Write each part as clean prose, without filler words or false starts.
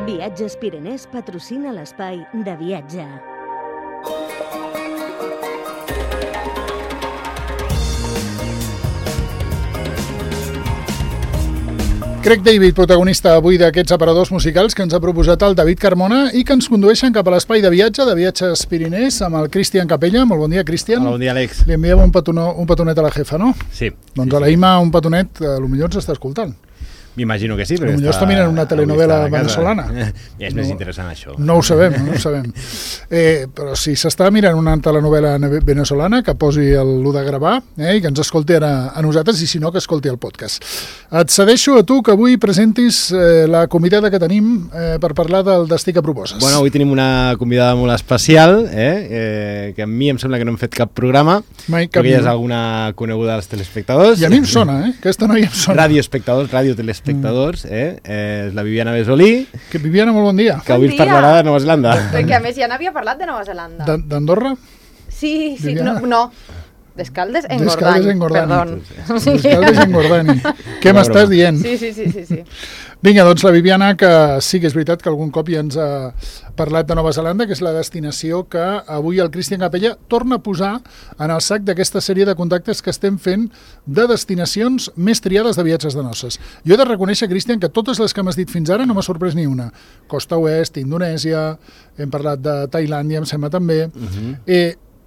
Viatges Pirenès patrocina l'espai de viatge. Craig David, protagonista avui d'aquests aparadors musicals que ens ha proposat el David Carmona i que ens condueixen cap a l'espai de Viatges Pirinès amb el Cristian Capella. Molt bon dia, Cristian. Hola, bon dia, Àlex. Li enviem un petonet a la jefa, no? Sí. Doncs a la Ima un petonet, potser ens està escoltant. M'imagino que sí, perquè potser està mirant una telenovela venezolana. És més interessant això. No ho sabem. Però si s'està mirant una telenovela venezolana, que posi l'1 de gravar i que ens escolti ara a nosaltres, i si no, que escolti el podcast. Et cedeixo a tu que avui presentis la convidada que tenim per parlar del destí que proposes. Bueno, avui tenim una convidada molt especial, que a mi em sembla que no hem fet cap programa, perquè ja és alguna coneguda dels telespectadors. I a mi em sona, aquesta noia em sona. Radioespectadors, és la Viviana Besolí. Que Viviana, molt bon dia. Que avui ens parlarà de Nova Zelanda. Perquè a més ja n'havia parlat de Nova Zelanda. D'Andorra? Sí, no. D'Escaldes en Gordany. D'Escaldes en Gordany. Què m'estàs dient? Sí. Vinga, doncs la Viviana, que sí que és veritat que algun cop ja ens ha parlat de Nova Zelanda, que és la destinació que avui el Cristian Capella torna a posar en el sac d'aquesta sèrie de contactes que estem fent de destinacions més triades de viatges de noces. Jo he de reconèixer, Cristian, que totes les que m'has dit fins ara no m'ha sorprès ni una. Costa Oest, Indonèsia, hem parlat de Tailàndia, em sembla també.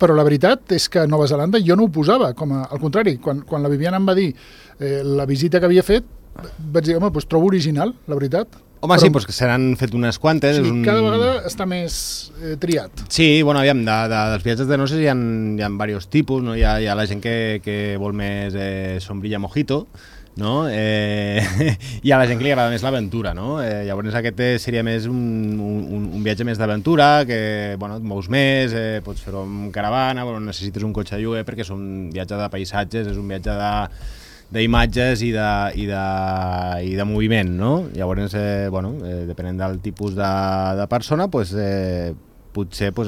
Però la veritat és que a Nova Zelanda jo no ho posava, al contrari, quan la Viviana em va dir la visita que havia fet, vaig dir, doncs trobo original, la veritat. Home, sí, doncs que se n'han fet unes quantes. Sí, cada vegada està més triat. Sí, bueno, aviam, dels viatges de noces hi ha diversos tipus, no? Hi ha la gent que vol més sombrilla mojito, no? Hi ha la gent que li agrada més l'aventura, no? Llavors aquest seria més un viatge més d'aventura, que et mous més, pots fer-ho amb caravana, necessites un cotxe de lloguer perquè és un viatge de paisatges, és un viatge d'imatges i de moviment, no? Llavors, depenent del tipus de persona, potser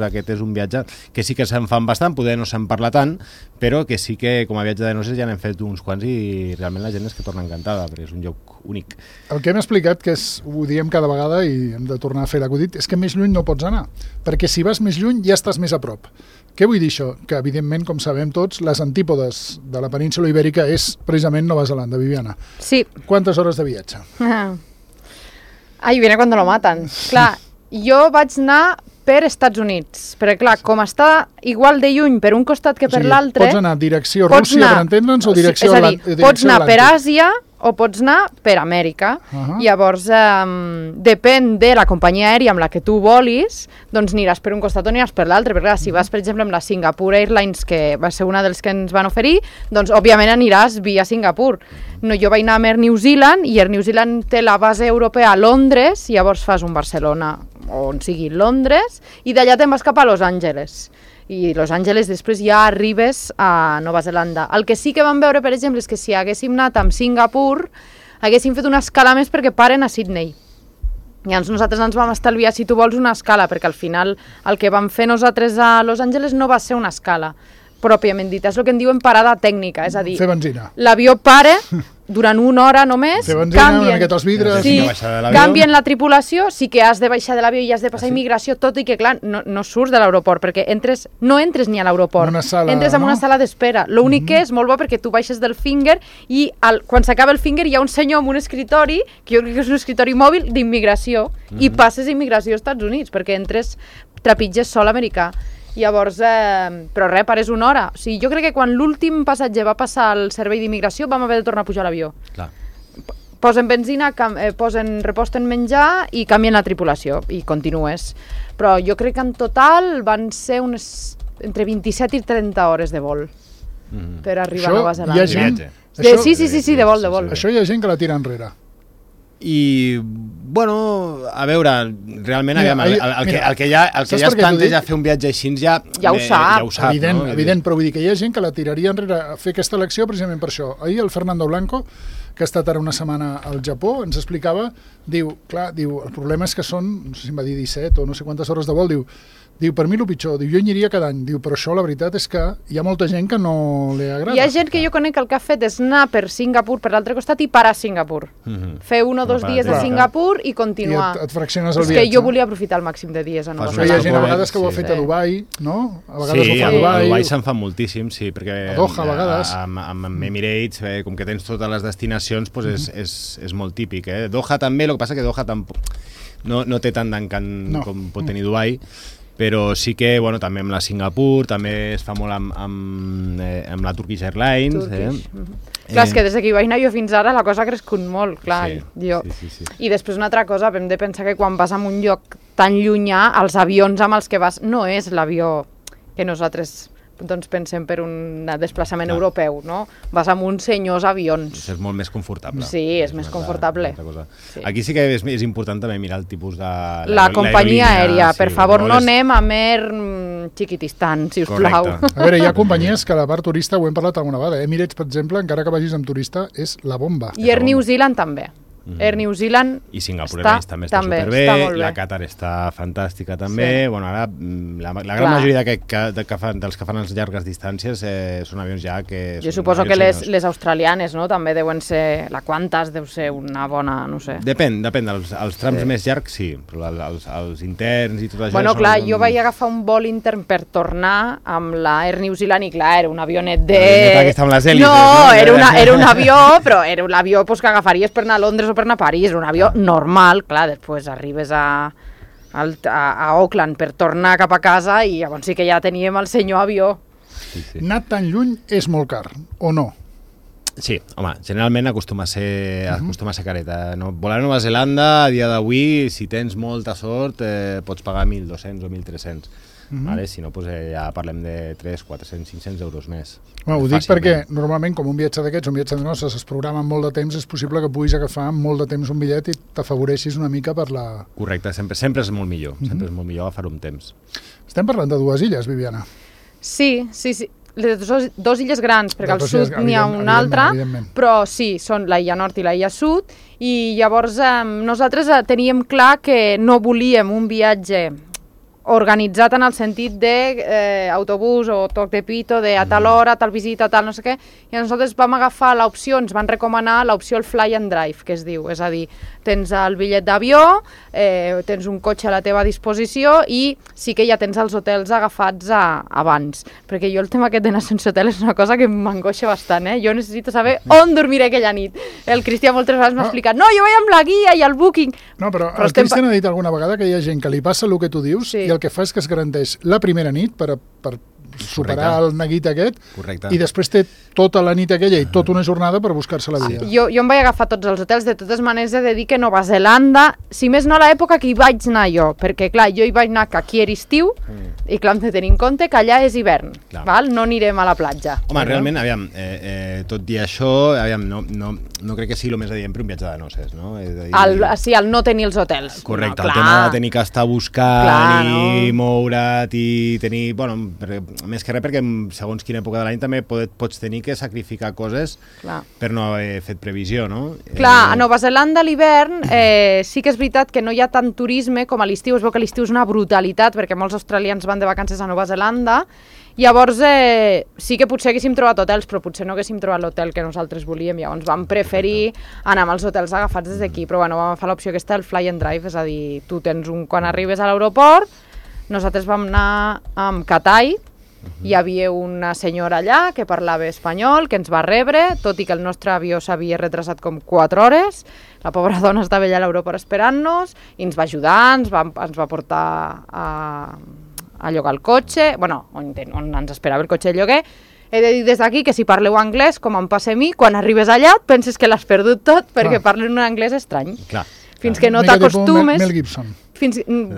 aquest és un viatge que sí que se'n fan bastant, poder no se'n parla tant, però que sí que com a viatge de noces ja n'hem fet uns quants i realment la gent és que torna encantada, perquè és un lloc únic. El que hem explicat, que ho diem cada vegada i hem de tornar a fer l'acudit, és que més lluny no pots anar, perquè si vas més lluny ja estàs més a prop. Què vull dir això? Que, evidentment, com sabem tots, les antípodes de la península Ibèrica és precisament Nova Zelanda, Viviana. Sí. Quantes hores de viatge? Ai, viene cuando lo matan. Clar, jo vaig anar per Estats Units, perquè clar, com està igual de lluny per un costat que per l'altre... Pots anar direcció Rússia, per entendre'ns, o direcció Atlàntic? És a dir, pots anar per Àsia o pots anar per Amèrica. Llavors, depèn de la companyia aèria amb la que tu volis, doncs aniràs per un costat o aniràs per l'altre, perquè si vas, per exemple, amb la Singapore Airlines, que va ser una dels que ens van oferir, doncs òbviament aniràs via Singapur. No, jo vaig anar amb Air New Zealand, i Air New Zealand té la base europea a Londres, i llavors fas un Barcelona, o on sigui Londres, i d'allà te'n vas cap a Los Angeles. I Los Angeles després ja arribes a Nova Zelanda. El que sí que vam veure, per exemple, és que si haguéssim anat amb Singapur, haguéssim fet una escala més perquè paren a Sydney. Llavors nosaltres ens vam estalviar, si tu vols, una escala, perquè al final el que vam fer nosaltres a Los Angeles no va ser una escala pròpiament dit, és el que en diuen parada tècnica, és a dir, fer benzina. L'avió para durant una hora només, fer benzina, una miqueta els vidres... Sí, canvien la tripulació, sí que has de baixar de l'avió i has de passar immigració, tot i que, clar, no surts de l'aeroport, perquè no entres ni a l'aeroport, entres en una sala d'espera. L'únic que és molt bo perquè tu baixes del Finger i quan s'acaba el Finger hi ha un senyor amb un escritori, que jo crec que és un escritori mòbil d'immigració, i passes immigració als Estats Units, perquè entres, trepitges sol americà. Llavors, però res, pares una hora. O sigui, jo crec que quan l'últim passatger va passar al servei d'immigració vam haver de tornar a pujar a l'avió. Posen benzina, reposten menjar i canvien la tripulació i continues. Però jo crec que en total van ser entre 27 i 30 hores de vol per arribar a Nova Zelanda. Sí, de vol. Això hi ha gent que la tira enrere. I, bueno, a veure, realment el que ja es planteja fer un viatge així ja ho sap. Evident, però vull dir que hi ha gent que la tiraria enrere a fer aquesta elecció precisament per això. Ahir el Fernando Blanco, que ha estat ara una setmana al Japó, ens explicava, diu, el problema és que són, no sé si em va dir 17 o no sé quantes hores de vol, Diu, per mi el pitjor, diu, jo hi aniria cada any. Diu, però això la veritat és que hi ha molta gent que no li agrada. Hi ha gent que jo conec que el que ha fet és anar per Singapur, per l'altre costat, i parar a Singapur. Fer 1 o 2 dies a Singapur i continuar. I et fracciones el viatge. És que jo volia aprofitar el màxim de dies a Nova Zelanda. Hi ha gent a vegades que ho ha fet a Dubai, no? A vegades ho fa a Dubai. A Dubai se'n fan moltíssim, sí, perquè a Doha, a vegades. Amb Emirates, com que tens totes les destinacions, és molt típic. Doha també, el que passa que Doha tampoc no té tant d'encant com pot tenir Dubai, però sí que també amb la Singapur, també es fa molt amb la Turkish Airlines. Clar, és que des que hi vaig anar jo fins ara la cosa ha crescut molt, clar. Sí. I després una altra cosa, hem de pensar que quan vas a un lloc tan llunyà, els avions amb els que vas no és l'avió que nosaltres pensem per un desplaçament europeu, no? Vas amb uns senyors avions. És molt més confortable. Sí, és més confortable. Aquí sí que és important també mirar el tipus de... La companyia aèria, per favor, no anem a Mer Chiquitistan, si us plau. A veure, hi ha companyies que a la part turista, ho hem parlat alguna vegada, Emirates, per exemple, encara que vagis amb turista, és la bomba. I Air New Zealand també. Air New Zealand i Singapur Airlines també està superbé, la Qatar està fantàstica també. Ara la gran majoria dels que fan les llargues distàncies són avions ja que... Jo suposo que les australianes també deuen ser, la Qantas deu ser una bona, no sé. Depèn, els trams més llargs sí, però els interns i tot això... Bueno, clar, jo vaig agafar un vol intern per tornar amb la Air New Zealand i clar, era un avionet de... No, era un avió, però era un avió que agafaries per anar a Londres o per anar a París, un avió normal, clar, després arribes a Auckland per tornar cap a casa i llavors sí que ja teníem el senyor avió. Anar tan lluny és molt car, o no? Sí, home, generalment acostuma a ser careta. Volar a Nova Zelanda, a dia d'avui, si tens molta sort, pots pagar 1.200 o 1.300. Si no, ja parlem de 300, 400, 500 euros més. Ho dic perquè normalment, com un viatge d'aquests, un viatge de noces, es programa amb molt de temps, és possible que puguis agafar molt de temps un bitllet i t'afavoreixis una mica per la... Correcte, sempre és molt millor, sempre és molt millor agafar un temps. Estem parlant de 2 illes, Viviana. Sí. Les 2 illes grans, perquè al sud n'hi ha una altra, però sí, són la illa nord i la illa sud, i llavors nosaltres teníem clar que no volíem un viatge organitzat en el sentit d'autobús o toc de pito, de a tal hora, tal visita, tal no sé què, i nosaltres vam agafar l'opció, ens van recomanar l'opció el Fly and Drive, que es diu, és a dir, tens el bitllet d'avió, tens un cotxe a la teva disposició i sí que ja tens els hotels agafats abans, perquè jo el tema aquest d'anar sense hotel és una cosa que m'angoixa bastant, jo necessito saber on dormiré aquella nit. El Cristià moltes vegades m'ha explicat, no, jo vaig amb la guia i el booking. No, però el Cristià ha dit alguna vegada que hi ha gent que li passa el que tu dius i el que fa és que es garanteix la primera nit per superar el neguit aquest. Correcte. I després té tota la nit aquella i tota una jornada per buscar-se la vida. Jo em vaig agafar tots els hotels, de totes maneres he de dir que Nova Zelanda, si més no a l'època que hi vaig anar jo, perquè clar, jo hi vaig anar que aquí era estiu i clar, hem de tenir en compte que allà és hivern, val? No anirem a la platja. Home, realment, aviam, tot i això, aviam, no crec que sigui el més adient per un viatge de noces, no? Sí, el no tenir els hotels. Correcte, el tema de tenir que estar buscant i moure't i tenir, bueno, més que res perquè segons quina època de l'any també pots tenir que sacrificar coses per no haver fet previsió, no? Clar, a Nova Zelanda a l'hivern sí que és veritat que no hi ha tant turisme com a l'estiu, es veu que l'estiu és una brutalitat perquè molts australians van de vacances a Nova Zelanda, llavors sí que potser haguéssim trobat hotels, però potser no haguéssim trobat l'hotel que nosaltres volíem, llavors vam preferir anar amb els hotels agafats des d'aquí, però bueno, vam agafar l'opció aquesta del Fly and Drive, és a dir, tu tens quan arribes a l'aeroport, nosaltres vam anar amb Katai, hi havia una senyora allà que parlava espanyol, que ens va rebre, tot i que el nostre avió s'havia retrasat com 4 hores, la pobra dona estava allà a l'aeroport esperant-nos i ens va ajudar, ens va portar a llogar el cotxe, bueno, on ens esperava el cotxe de lloguer. He de dir des d'aquí que si parleu anglès, com em passa a mi, quan arribes allà et penses que l'has perdut tot perquè parlen un anglès estrany. Fins que no t'acostumes... Mel Gibson.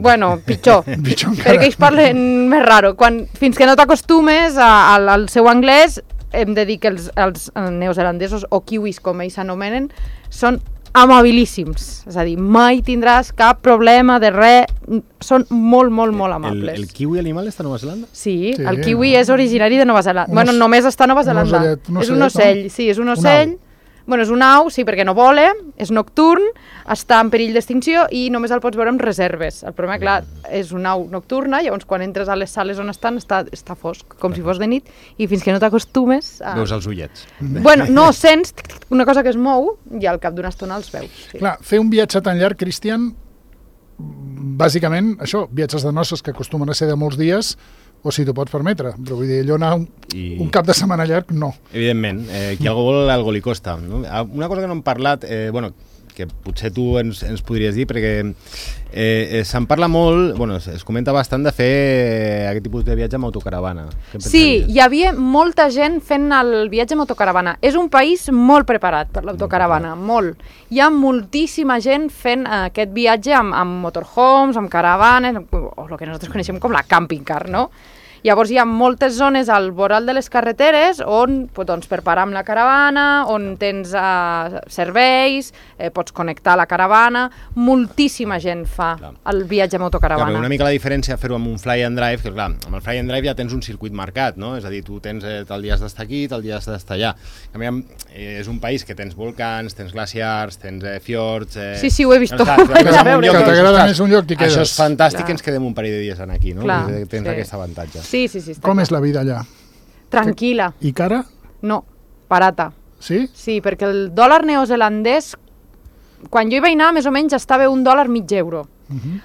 Bueno, pitjor, perquè ells parlen més raro. Fins que no t'acostumes al seu anglès, hem de dir que els neozelandesos, o kiwis com ells s'anomenen, són amabilíssims. És a dir, mai tindràs cap problema de res, són molt, molt, molt amables. El kiwi animal està a Nova Zelanda? Sí, el kiwi és originari de Nova Zelanda. Bueno, només està a Nova Zelanda. És un ocell, sí, és un ocell Bueno, és una au, sí, perquè no vola, és nocturn, està en perill d'extinció i només el pots veure amb reserves. El problema, clar, és una au nocturna, llavors quan entres a les sales on estan està fosc, com si fos de nit, i fins que no t'acostumes... Veus els ullets. Bueno, no, sents una cosa que es mou i al cap d'una estona els veus. Sí. Clar, fer un viatge tan llarg, Cristian, bàsicament, això, viatges de noces que acostumen a ser de molts dies, o si t'ho pots permetre, però vull dir, allò anar un cap de setmana llarg, no. Evidentment, qui algo vol, algo li costa. No? Una cosa que no hem parlat, bueno, que potser tu ens podries dir, perquè se'n parla molt, bueno, es comenta bastant de fer aquest tipus de viatge amb autocaravana. Sí, hi havia molta gent fent el viatge amb autocaravana. És un país molt preparat per l'autocaravana, molt. Hi ha moltíssima gent fent aquest viatge amb motorhomes, amb caravanes, o el que nosaltres coneixem com la camping car, no? Llavors hi ha moltes zones al voral de les carreteres on doncs, per parar amb la caravana, on tens serveis, pots connectar la caravana, moltíssima gent fa el viatge amb autocaravana. Clar, una mica la diferència fer-ho amb un fly and drive, que clar, amb el fly and drive ja tens un circuit marcat, no? És a dir, tu tens tal dia has d'estar aquí, tal dia has d'estar allà. És un país que tens volcans, tens glaciars, tens fiords... Sí, ho he vist tot. Que t'agrada més un lloc i quedes. Això és fantàstic, ens quedem un parell de dies aquí, no? Tens aquest avantatge. Sí. Com és la vida allà? Tranquil·la. I cara? No, barata. Sí? Sí, perquè el dòlar neozelandès, quan jo hi vaig anar, més o menys estava $1 mig euro.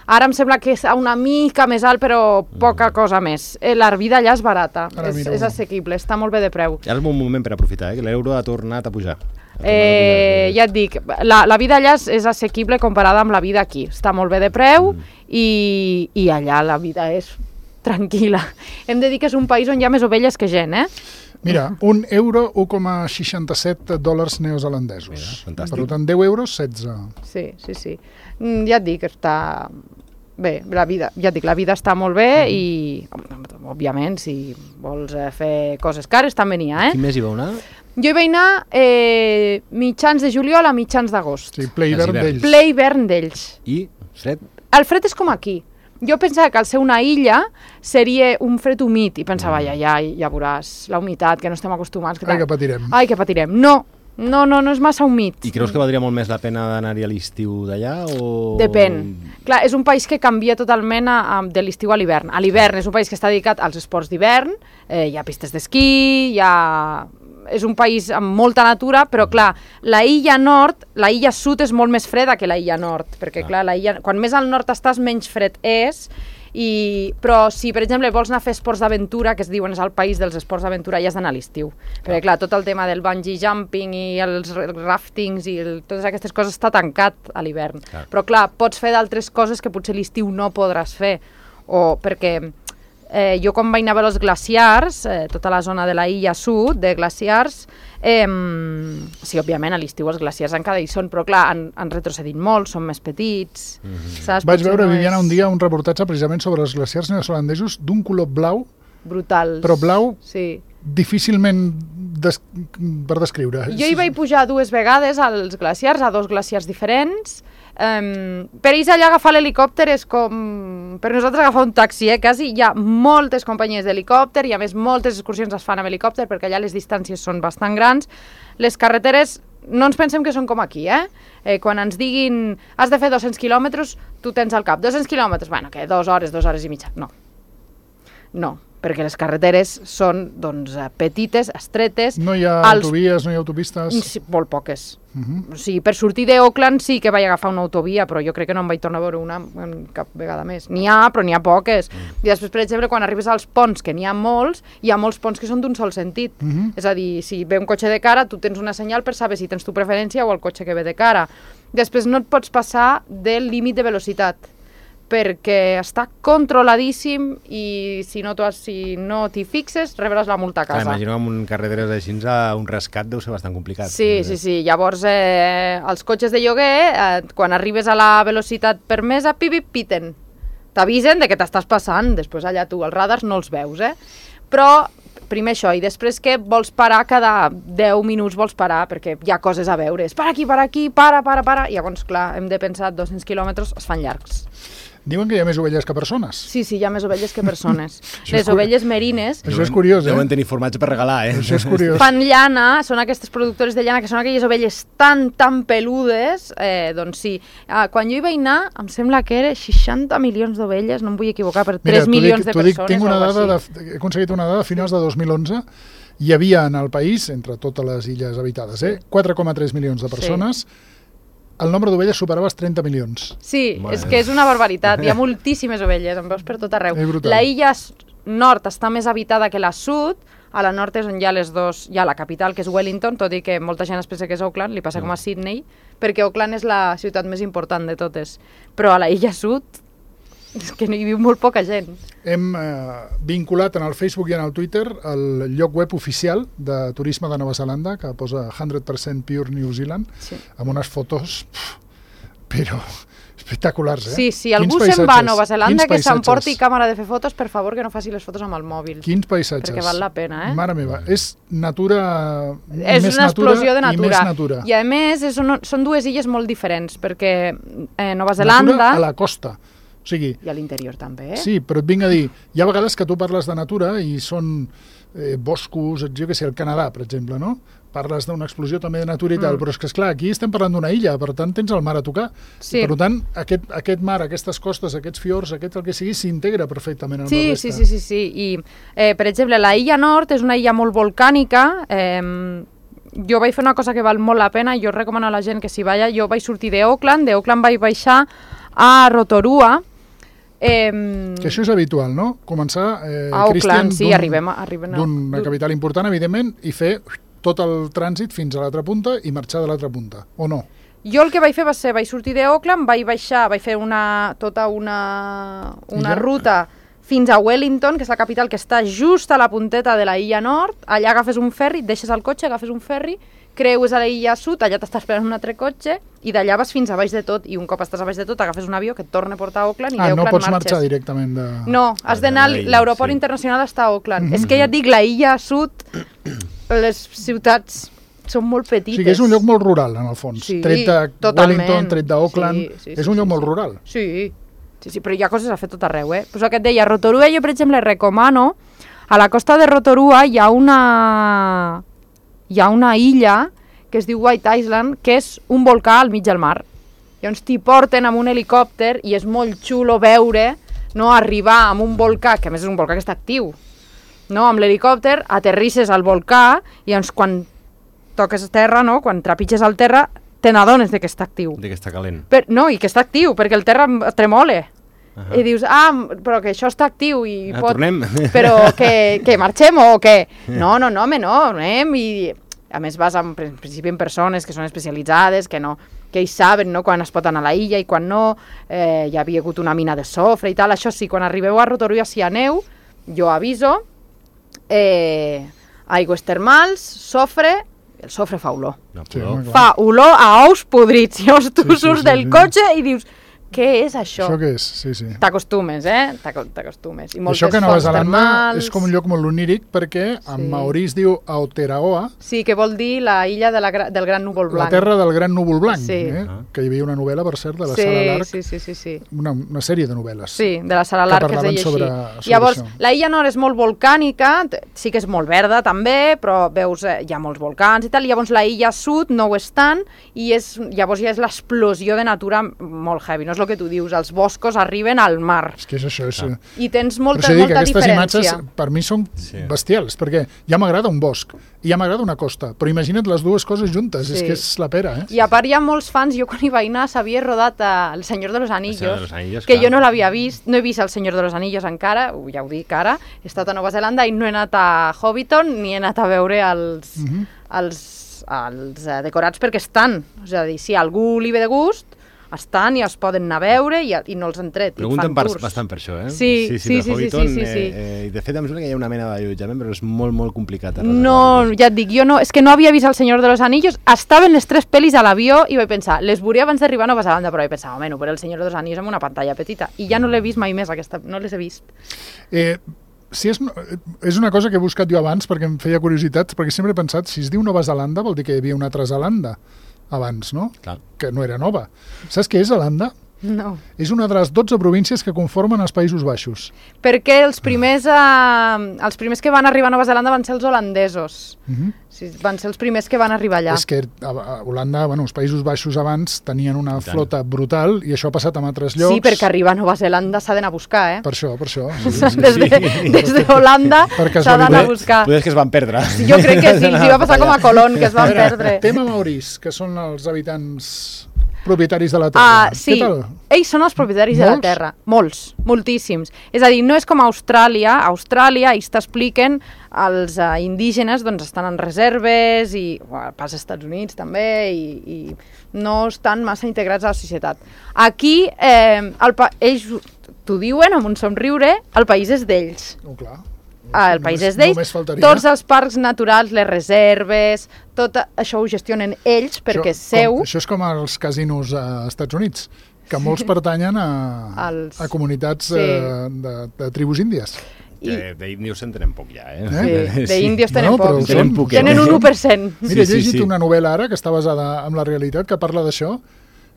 Ara em sembla que és una mica més alt, però poca cosa més. La vida allà és barata, és assequible, està molt bé de preu. Ara és un bon moment per aprofitar, que l'euro ha tornat a pujar. Ja et dic, la vida allà és assequible comparada amb la vida aquí. Està molt bé de preu i allà la vida és tranquil·la. Hem de dir que és un país on hi ha més ovelles que gent, Mira, €1, 1,67 neozelandesos. Mira, per tant, 10 euros, 16. Sí. Ja et dic, està bé, la vida està molt bé i, òbviament, si vols fer coses cares, també n'hi ha, Quin mes hi vau anar? Jo hi vaig anar mitjans de juliol a mitjans d'agost. Sí, ple hivern d'ells. I fred? El fred és com aquí. Jo pensava que al ser una illa seria un fred humit i pensava, ja veuràs, la humitat, que no estem acostumats. Ai, que patirem. Ai, que patirem. No és massa humit. I creus que valdria molt més la pena d'anar-hi a l'estiu d'allà? O... Depèn. Clar, és un país que canvia totalment de l'estiu a l'hivern. A l'hivern és un país que està dedicat als esports d'hivern, hi ha pistes d'esquí, és un país amb molta natura, però clar, la illa sud és molt més freda que la illa nord, perquè clar, quan més al nord estàs, menys fred és, però si, per exemple, vols anar a fer esports d'aventura, que es diuen és el país dels esports d'aventura, ja has d'anar a l'estiu, perquè clar, tot el tema del bungee jumping i els raftings i totes aquestes coses està tancat a l'hivern, però clar, pots fer d'altres coses que potser a l'estiu no podràs fer, o perquè... jo quan vaig anar a veure els glaciars, tota la zona de la illa sud de glaciars, sí, òbviament a l'estiu els glaciars encara hi són, però clar, han retrocedit molt, són més petits. Saps? Vaig veure, Viviana, un dia un reportatge precisament sobre els glaciars neozelandesos d'un color blau, brutals. Però blau difícilment per descriure. Jo hi vaig pujar 2 vegades als glaciars, a 2 glaciars diferents. Per ells allà agafar l'helicòpter és com per nosaltres agafar un taxi, quasi. Hi ha moltes companyies d'helicòpter i a més moltes excursions es fan amb helicòpter perquè allà les distàncies són bastant grans. Les carreteres no ens pensem que són com aquí, quan ens diguin has de fer 200 quilòmetres, tu tens al cap 200 quilòmetres, bueno, que 2 hores, 2 hores i mitja. No, perquè les carreteres són doncs, petites, estretes. No hi ha autovies, no hi ha autopistes? Sí, molt poques. O sigui, per sortir d'Auckland sí que vaig agafar una autovia, però jo crec que no em vaig tornar a veure una cap vegada més. N'hi ha, però n'hi ha poques. I després, per exemple, quan arribes als ponts, que n'hi ha molts ponts que són d'un sol sentit. És a dir, si ve un cotxe de cara, tu tens una senyal per saber si tens tu preferència o el cotxe que ve de cara. Després no et pots passar del límit de velocitat, perquè està controladíssim i si no t'hi fixes rebràs la multa a casa. Imagino que amb carreteres així un rescat deu ser bastant complicat. Sí. Llavors els cotxes de lloguer, quan arribes a la velocitat permesa, piten. T'avisen de que t'estàs passant, després allà tu els radars no els veus, però primer això, i després que vols parar cada 10 minuts, vols parar, perquè hi ha coses a veure. És para aquí, para. I llavors, clar, hem de pensar 200 quilòmetres es fan llargs. Diuen que hi ha més ovelles que persones. Sí, hi ha més ovelles que persones. Les ovelles merines... Això és curiós, Deuen tenir formatge per regalar, Això és curiós. Fan llana, són aquestes productores de llana, que són aquelles ovelles tan peludes, doncs sí. Quan jo hi vaig anar, em sembla que era 60 milions d'ovelles, no em vull equivocar, per 3 milions de persones. Tinc una dada, he aconseguit una dada a finals de 2011, hi havia en el país, entre totes les illes habitades, 4,3 milions de persones, el nombre d'ovelles superava els 30 milions. Sí, és que és una barbaritat. Hi ha moltíssimes ovelles, en veus per tot arreu. La illa nord està més habitada que la sud. A la nord és on hi ha les dues, hi ha la capital, que és Wellington, tot i que molta gent es pensa que és Auckland, li passa com a Sydney, perquè Auckland és la ciutat més important de totes. Però a la illa sud és que hi viu molt poca gent. Hem vinculat en el Facebook i en el Twitter el lloc web oficial de turisme de Nova Zelanda, que posa 100% Pure New Zealand, amb unes fotos, però espectaculars, Sí, algú se'n va a Nova Zelanda que s'emporti càmera de fer fotos, per favor, que no faci les fotos amb el mòbil. Quins paisatges. Perquè val la pena, Mare meva, és natura... És una explosió de natura. I més natura. I a més, són dues illes molt diferents, perquè Nova Zelanda... Natura a la costa. O sigui, i a l'interior també, Sí, però et vinc a dir, hi ha vegades que tu parles de natura i són boscos, jo què sé, el Canadà, per exemple, no? Parles d'una explosió també de natura i tal, però és que, esclar, aquí estem parlant d'una illa, per tant tens el mar a tocar. Sí. I, per tant, aquest mar, aquestes costes, aquests fiords, el que sigui, s'integra perfectament amb la resta. Sí. I, per exemple, la illa nord és una illa molt volcànica, jo vaig fer una cosa que val molt la pena, jo recomano a la gent que s'hi vaya. Jo vaig sortir d'Auckland vaig baixar a Rotorua. Que això és habitual, no? Començar, a Auckland, Cristian, arribem d'una capital important, evidentment, i fer tot el trànsit fins a l'altra punta i marxar de l'altra punta, o no? Jo el que vaig fer va ser, vaig sortir d'Auckland, vaig baixar, vaig fer tota una ruta fins a Wellington, que és la capital que està just a la punteta de la illa nord. Allà agafes un ferri, deixes el cotxe, agafes un ferri, creues a la illa sud, allà t'està esperant un altre cotxe, i d'allà vas fins a baix de tot, i un cop estàs a baix de tot agafes un avió que et torna a portar a Auckland i d'Auckland no pots marxes. Marxar directament de... No, has d'anar, l'aeroport internacional està a Auckland. És que ja et dic, la illa sud, les ciutats són molt petites. O sigui, és un lloc molt rural, en el fons. Tret de Wellington, tret d'Auckland, és un lloc molt rural. Sí, però hi ha coses a fer tot arreu, Pues el que et deia, Rotorua jo, per exemple, recomano, a la costa de Rotorua hi ha una illa que es diu White Island, que és un volcà al mig del mar. Llavors t'hi porten amb un helicòpter i és molt xulo veure, no, arribar amb un volcà, que a més és un volcà que està actiu, no, amb l'helicòpter, aterrisses al volcà i llavors quan toques terra, no, quan trepitges al terra, te n'adones que està actiu. De que està calent. No, i que està actiu, perquè el terra tremole. I dius, però que això està actiu i tornem. Però que marxem o què? No, anem i a més vas en principi en persones que són especialitzades, que ells saben, no, quan es pot anar a la illa i quan no, hi havia hagut una mina de sofre i tal. Això sí, quan arribeu a Rotorua, si aneu, jo aviso, aigües termals, sofre, el sofre fa olor. Fa olor a ous podrits. Llavors tu surts del cotxe i dius, què és això? Això què és? Sí. T'acostumes, T'acostumes. I això que a Nova Zelanda és com un lloc molt oníric perquè en maorí es diu Aotearoa. Sí, que vol dir la illa del gran núvol blanc. La terra del gran núvol blanc, que hi havia una novel·la, per cert, de la Sara Lark. Sí. Una sèrie de novel·les. Sí, de la Sara Lark, que es deia així. Llavors, la illa nord és molt volcànica, sí que és molt verda també, però veus, hi ha molts volcans i tal. Llavors la illa sud no ho és tant i llavors ja és l'explosió de natura molt heavy, no és el que tu dius, els boscos arriben al mar. És que és això. I tens molta diferència. Aquestes imatges per mi són bestials, perquè ja m'agrada un bosc i ja m'agrada una costa, però imagina't les dues coses juntes, és que és la pera. I a part hi ha molts fans, jo quan hi vaig anar s'havia rodat El Senyor de los Anillos, que jo no l'havia vist, no he vist El Senyor de los Anillos encara, ja ho dic ara, he estat a Nova Zelanda i no he anat a Hobbiton ni he anat a veure els decorats perquè estan, és a dir, si a algú li ve de gust, estan i els poden anar a veure i no els han tret. Pregunten bastant per això, Sí. I de fet em sembla que hi ha una mena d'allotjament, però és molt, molt complicat. No, ja et dic, jo no, és que no havia vist El Senyor de los Anillos, estaven les 3 pel·lis a l'avió i vaig pensar, les veuria abans d'arribar a Nova Zelanda, però vaig pensar, però El Senyor de los Anillos amb una pantalla petita, i ja no l'he vist mai més, no les he vist. és una cosa que he buscat jo abans perquè em feia curiositat, perquè sempre he pensat, si es diu Nova Zelanda vol dir que hi havia una altra Zelanda abans, no? Clar. Que no era nova. Saps què és Zelanda? No. És una de les 12 províncies que conformen els Països Baixos. Perquè els primers que van arribar a Nova Zelanda van ser els holandesos. Sí, van ser els primers que van arribar allà. És que a Holanda, els Països Baixos abans tenien una flota brutal i això ha passat en altres llocs. Sí, perquè arribar a Nova Zelanda s'ha d'anar a buscar, eh? Per això. Des de Holanda s'ha d'anar a buscar. Poder que es van perdre. Jo crec que sí, els hi va passar com a Colón, que es van perdre. Tema maoris, que són els habitants propietaris de la terra. Sí, ells són els propietaris de la terra. Molts, moltíssims. És a dir, no és com a Austràlia. A Austràlia ells t'expliquen, els indígenes doncs, estan en reserves i pas als Estats Units també i no estan massa integrats a la societat. Aquí ells t'ho diuen amb un somriure, el país és d'ells. Clar. El país és d'ells, tots els parcs naturals, les reserves, tot això ho gestionen ells perquè és seu. Això és com els casinos als Estats Units, que molts pertanyen a comunitats de tribus índies. D'índios en tenen poc ja, Sí, d'índios tenen poc. Tenen un 1%. Mira, he llegit una novel·la ara que està basada en la realitat, que parla d'això.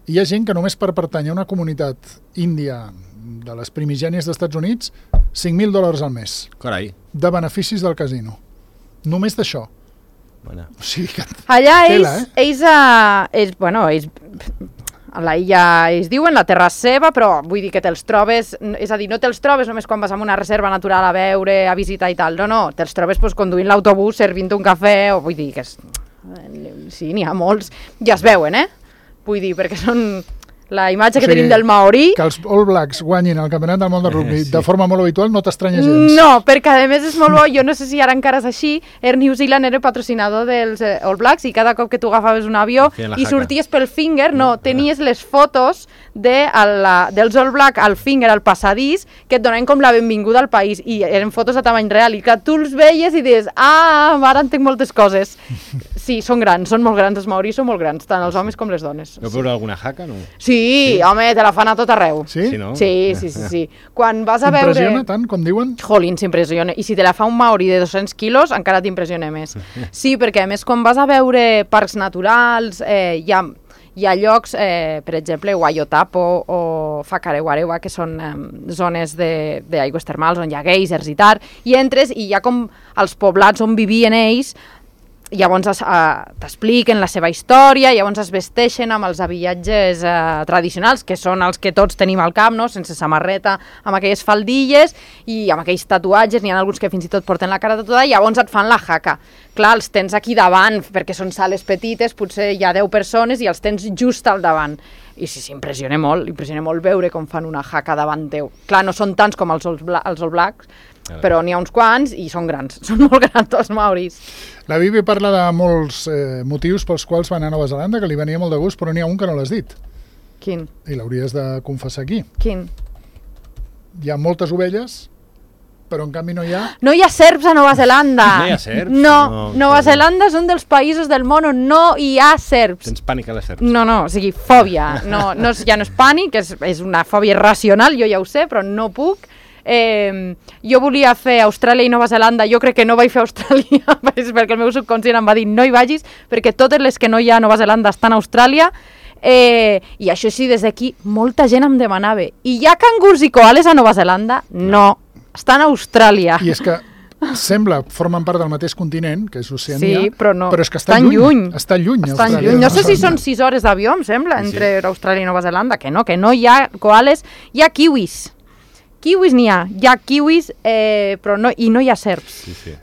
Hi ha gent que només per pertànyer a una comunitat índia de les primigènies dels Estats Units, $5.000 al mes. Carai. De beneficis del casino. Només d'això. Bueno. O sigui que... Allà ells a la illa ells diuen, la terra és seva, però vull dir que te'ls trobes, és a dir, no te'ls trobes només quan vas a una reserva natural a veure, a visitar i tal, no, te'ls trobes conduint l'autobús, servint un cafè, o vull dir que sí, n'hi ha molts, ja es veuen, vull dir, perquè són la imatge que tenim del maorí. Que els All Blacks guanyin el campionat del món de rugby de forma molt habitual no t'estranya gens. No, perquè a més és molt bo, jo no sé si ara encara és així, Air New Zealand era patrocinador dels All Blacks i cada cop que tu agafaves un avió i sorties pel finger, tenies les fotos dels All Blacks al finger, al passadís, que et donaven com la benvinguda al país i eren fotos a tamany real i que tu els veies i dius, ara entenc moltes coses. Sí, són grans, són molt grans, els maoris són molt grans, tant els homes com les dones. Vau veure alguna jaca, no? Sí, home, te la fan a tot arreu. Sí? Sí. Quan vas a veure... T'impressiona tant, com diuen? Jolín, s'impressiona. I si te la fa un maori de 200 quilos, encara t'impressiona més. Sí, perquè a més, quan vas a veure parcs naturals, hi ha llocs, per exemple, Waiotapo o Whakarewarewa, que són zones d'aigües termals on hi ha geysers i tal, i entres i hi ha com els poblats on vivien ells. Llavors t'expliquen la seva història, llavors es vesteixen amb els habillatges tradicionals, que són els que tots tenim al cap, no? Sense samarreta, amb aquelles faldilles i amb aquells tatuatges, n'hi ha alguns que fins i tot porten la cara tatuada, i llavors et fan la jaca. Clar, els tens aquí davant, perquè són sales petites, potser hi ha 10 persones i els tens just al davant. I sí, impressiona molt veure com fan una jaca davant teu. Clar, no són tants com els All Blacks, però n'hi ha uns quants i són grans, són molt grans els maoris. La Bibi parla de molts motius pels quals van a Nova Zelanda, que li venia molt de gust, però n'hi ha un que no l'has dit. Quin? I l'hauries de confessar aquí. Quin? Hi ha moltes ovelles, però en canvi no hi ha... No hi ha serps a Nova Zelanda. No hi ha serps? No, Nova Zelanda és un dels països del món on no hi ha serps. Tens pànic a les serps? No, o sigui, fòbia. Ja no és pànic, és una fòbia irracional, jo ja ho sé, però no puc. Jo volia fer Austràlia i Nova Zelanda, jo crec que no vaig fer Austràlia perquè el meu subconscient em va dir no hi vagis perquè totes les que no hi ha a Nova Zelanda estan a Austràlia i això sí, des d'aquí molta gent em demanava i hi ha cangurs i koales a Nova Zelanda? No, estan a Austràlia. I és que formen part del mateix continent, que és Oceania, sí, però és que estan lluny. Estan lluny. No sé si són 6 hores d'avió, em sembla, entre Austràlia i Nova Zelanda, que no hi ha koales, hi ha kiwis. Kiwis n'hi ha kiwis, però no hi ha serps. Sí.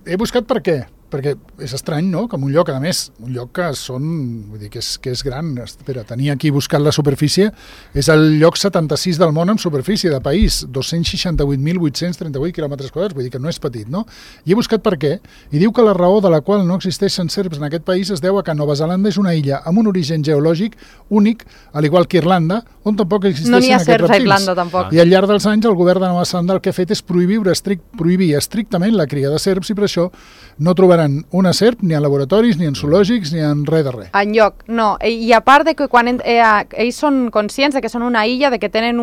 He buscat per què. Perquè és estrany, no?, que en un lloc, a més, un lloc que vull dir, que és gran. Espera, tenia aquí buscat la superfície, és el lloc 76 del món en superfície de país, 268.838 quilòmetres quadrats, vull dir que no és petit, no? I he buscat per què, i diu que la raó de la qual no existeixen serps en aquest país es deu a que Nova Zelanda és una illa amb un origen geològic únic, al igual que Irlanda, on tampoc existeixen aquests reptils. No n'hi ha serps a Irlanda, tampoc. I al llarg dels anys el govern de Nova Zelanda el que ha fet és prohibir estrictament la cria de serps i per això no trobaran una serp ni en laboratoris, ni en zoològics, ni en res de res. Enlloc, no. I a part de que quan ells són conscients de que són una illa, de que tenen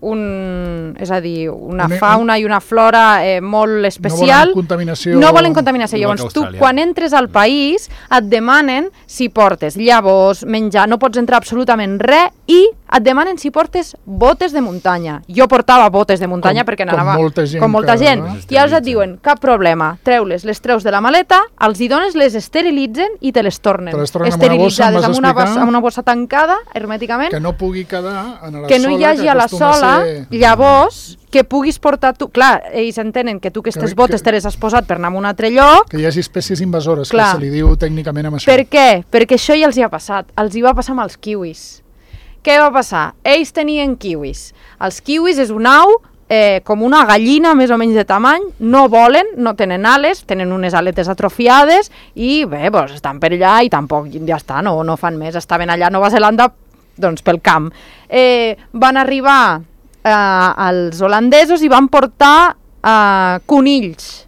és a dir, una fauna i una flora molt especial. No volen contaminació. No volen contaminació. Llavors, tu, quan entres al país, et demanen si portes llavors, menjar, no pots entrar absolutament res i et demanen si portes botes de muntanya. Jo portava botes de muntanya perquè anava com molta gent. I llavors et diuen, cap problema, treu-les, les treus de la maleta, els hi dones, les esterilitzen i te les tornen. Esterilitzades amb una bossa tancada, hermèticament. Que no pugui quedar en la sola. Que no hi hagi a la sola, llavors que puguis portar tu... Clar, ells entenen que tu aquestes botes te les has posat per anar a un altre lloc. Que hi hagi espècies invasores, que se li diu tècnicament amb això. Per què? Perquè això ja els hi ha passat. Els hi va passar amb els kiwis. Què va passar? Ells tenien kiwis. Els kiwis és una au com una gallina més o menys de tamany, no volen, no tenen ales, tenen unes aletes atrofiades i bé, doncs estan per allà i tampoc ja està, no fan més. Estaven allà a Nova Zelanda doncs pel camp. Van arribar els holandesos i van portar conills.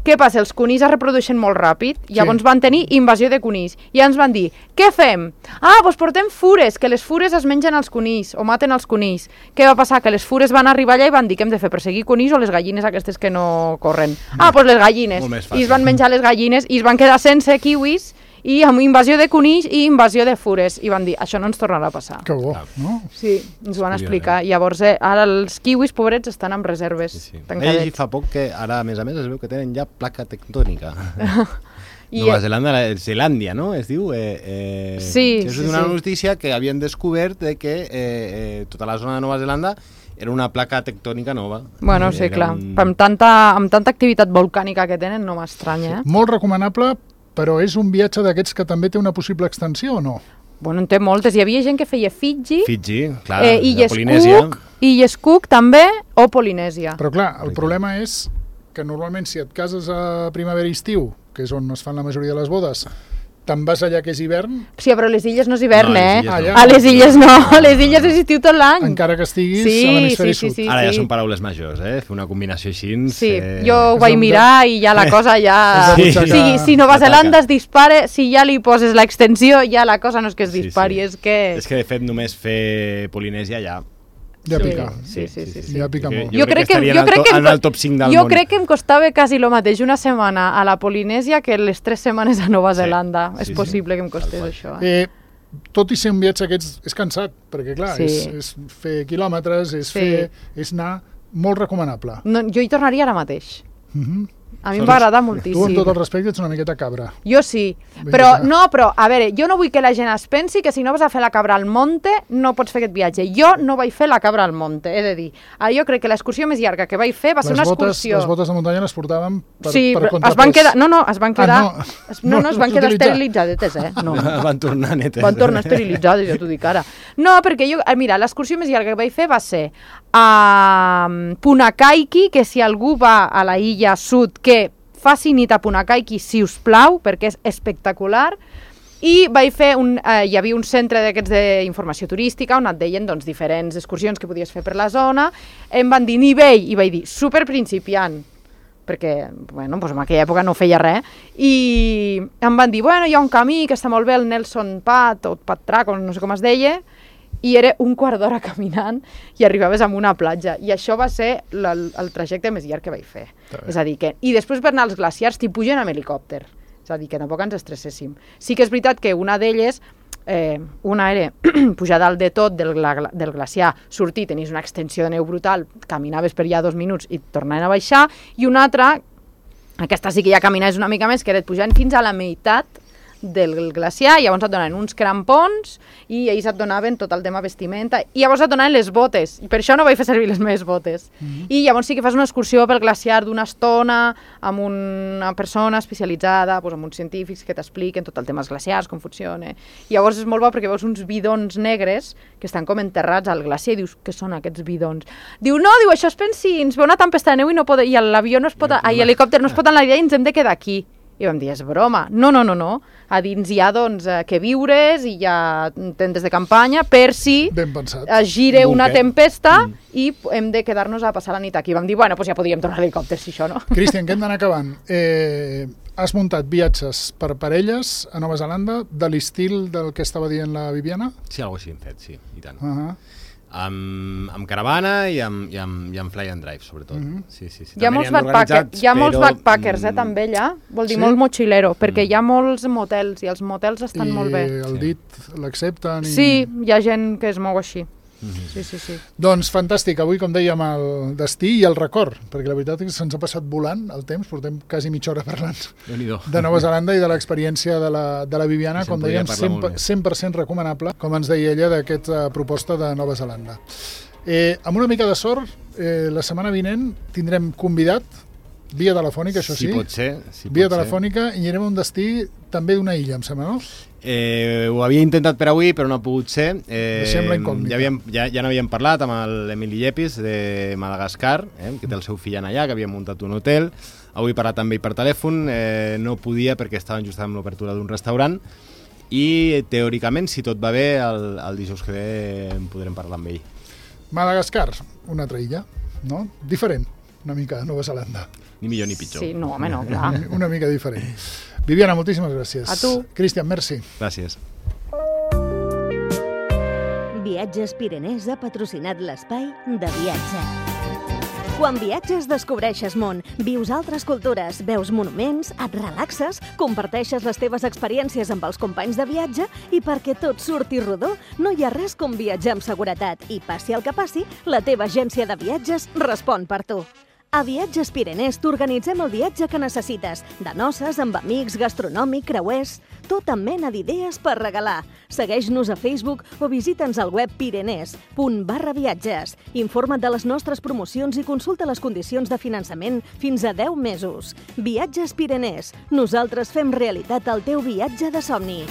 Què passa? Els conills es reprodueixen molt ràpid, llavors van tenir invasió de conills. I ens van dir, què fem? Doncs portem fures, que les fures es mengen els conills, o maten els conills. Què va passar? Que les fures van arribar allà i van dir, què hem de fer, perseguir conills o les gallines aquestes que no corren? Doncs les gallines. I es van menjar les gallines i es van quedar sense kiwis, i amb invasió de conills i invasió de fures. I van dir, això no ens tornarà a passar. Que bo, no? Sí, ens ho van explicar. Llavors, ara els kiwis, pobrets, estan amb reserves tancadets. He llegit fa poc que ara, a més, es veu que tenen ja placa tectònica. Nova Zelanda, Zelàndia, no? Es diu? Sí. És una notícia que havien descobert que tota la zona de Nova Zelanda era una placa tectònica nova. Bueno, sí, clar. Amb tanta activitat volcànica que tenen, no m'estranya. Molt recomanable, però és un viatge d'aquests que també té una possible extensió o no? Bueno, en té moltes. Hi havia gent que feia Fiji, clar, de Polinèsia. Illes Cook també, o Polinèsia. Però clar, el problema és que normalment si et cases a primavera i estiu, que és on es fan la majoria de les bodes, te'n vas allà que és hivern? Sí, però les illes no és hivern, no, a les illes no, a les illes és estiu tot l'any. Encara que estiguis a l'hemisferi sud. Ara ja són paraules majors, fer una combinació així. Sí, jo ho vaig mirar i ja la cosa ja... Si Nova Zelanda es dispara, si ja li poses l'extensió, ja la cosa no és que es dispari, és que... És que de fet només fer Polinèsia ja... Ja pica. Sí. Ja pica molt. Jo crec que en el top 5 del món. Jo crec que em costava quasi el mateix una setmana a la Polinèsia que les 3 setmanes a Nova Zelanda. És possible que em costés això. Tot i ser un viatge aquests és cansat, perquè clar, és fer quilòmetres, és anar molt recomanable. Jo hi tornaria ara mateix. A mi em va agradar moltíssim. Tu, amb tot el respecte, ets una miqueta cabra. Jo sí, però, a veure, jo no vull que la gent es pensi que si no vas a fer la cabra al monte no pots fer aquest viatge. Jo no vaig fer la cabra al monte, he de dir. Jo crec que l'excursió més llarga que vaig fer va ser una excursió... Les botes de muntanya les portàvem per contrapès. Es van quedar... es van quedar... es van quedar esterilitzades, No. Van tornar netes. Van tornar esterilitzades, ja t'ho dic ara. No, perquè jo... Mira, l'excursió més llarga que vaig fer va ser a Punakaiki, que si algú va a la illa sud, que faci nit a Punakaiki, si us plau, perquè és espectacular. I vaig fer hi havia un centre d'aquests d'informació turística on et deien doncs, diferents excursions que podies fer per la zona. Em van dir nivell, i vaig dir super principiant, perquè bueno, doncs en aquella època no feia res, i em van dir, bueno, hi ha un camí que està molt bé, el Nelson Pat, o Pat Track, no sé com es deia, i era un quart d'hora caminant i arribaves a una platja. I això va ser el trajecte més llarg que vaig fer. És a dir, que... I després per anar als glaciars t'hi pugen amb helicòpter. És a dir, que tampoc ens estresséssim. Sí que és veritat que una d'elles, una era pujar dalt de tot del glaciar, sortir, tenies una extensió de neu brutal, caminaves per allà 2 minuts i tornaven a baixar, i una altra, aquesta sí que ja caminaves una mica més, que era pujant fins a la meitat del glaciar, i llavors et donaven uns crampons i ells et donaven tot el tema vestimenta i llavors et donaven les botes, i per això no vaig fer servir les meves botes. I llavors sí que fas una excursió pel glaciar d'una estona amb una persona especialitzada, doncs amb uns científics que t'expliquen tot el tema dels glaciars, com funciona. I llavors és molt bo perquè veus uns bidons negres que estan com enterrats al glaciar i dius, què són aquests bidons? Diu, no, això és pensi, ens ve una tempesta de neu i l'avió no es pot, l'helicòpter no es pot enlairar i ens hem de quedar aquí. I vam dir, és broma. No. A dins hi ha, doncs, que viures i hi ha tendes de campanya per si es gire una tempesta i hem de quedar-nos a passar la nit aquí. Vam dir, bueno, doncs ja podríem tornar a l'helicòpter, si això no. Cristian, que hem d'anar acabant. Has muntat viatges per parelles a Nova Zelanda de l'estil del que estava dient la Viviana? Sí, alguna cosa així hem fet, sí, i tant. Amb caravana i amb fly and drive, sobretot. Sí. Hi ha molts backpackers, també allà. Vol dir molt mochilero, perquè hi ha molts motels i els motels estan molt bé. I el dit l'accepten? Sí, hi ha gent que es mou així. Sí. Doncs fantàstic, avui com dèiem el destí i el record, perquè la veritat és que se'ns ha passat volant el temps, portem quasi mitja hora parlant de Nova Zelanda i de l'experiència de la Viviana, com dèiem, 100% recomanable, com ens deia ella, d'aquesta proposta de Nova Zelanda. Amb una mica de sort, la setmana vinent tindrem convidat, via telefònica, això sí. Si pot ser. Via telefònica, i anirem a un destí també d'una illa, em sembla, no? Ho havia intentat per avui, però no ha pogut ser. Deixem la incògnita. Ja n'havíem parlat amb l'Emili Llepis de Madagascar, que té el seu fill allà, que havia muntat un hotel. Avui he parlat amb ell per telèfon, no podia perquè estaven just amb l'obertura d'un restaurant, i teòricament, si tot va bé, el dijous que ve en podrem parlar amb ell. Madagascar, una altra illa, no? Diferent, una mica de Nova Zelanda. Ni millor ni pitjor. Sí, no, home, no, clar. Una mica diferent. Viviana, moltíssimes gràcies. A tu. Cristian, merci. Gràcies. Viatges Pirenès ha patrocinat l'espai de viatge. Quan viatges descobreixes món, vius altres cultures, veus monuments, et relaxes, comparteixes les teves experiències amb els companys de viatge i perquè tot surti rodó, no hi ha res com viatjar amb seguretat i passi el que passi, la teva agència de viatges respon per tu. A Viatges Pirenès t'organitzem el viatge que necessites, de noces, amb amics, gastronòmic, creuers, tota mena d'idees per regalar. Segueix-nos a Facebook o visita'ns al web pirenès.com/viatges. Informa't de les nostres promocions i consulta les condicions de finançament fins a 10 mesos. Viatges Pirenès. Nosaltres fem realitat el teu viatge de somni.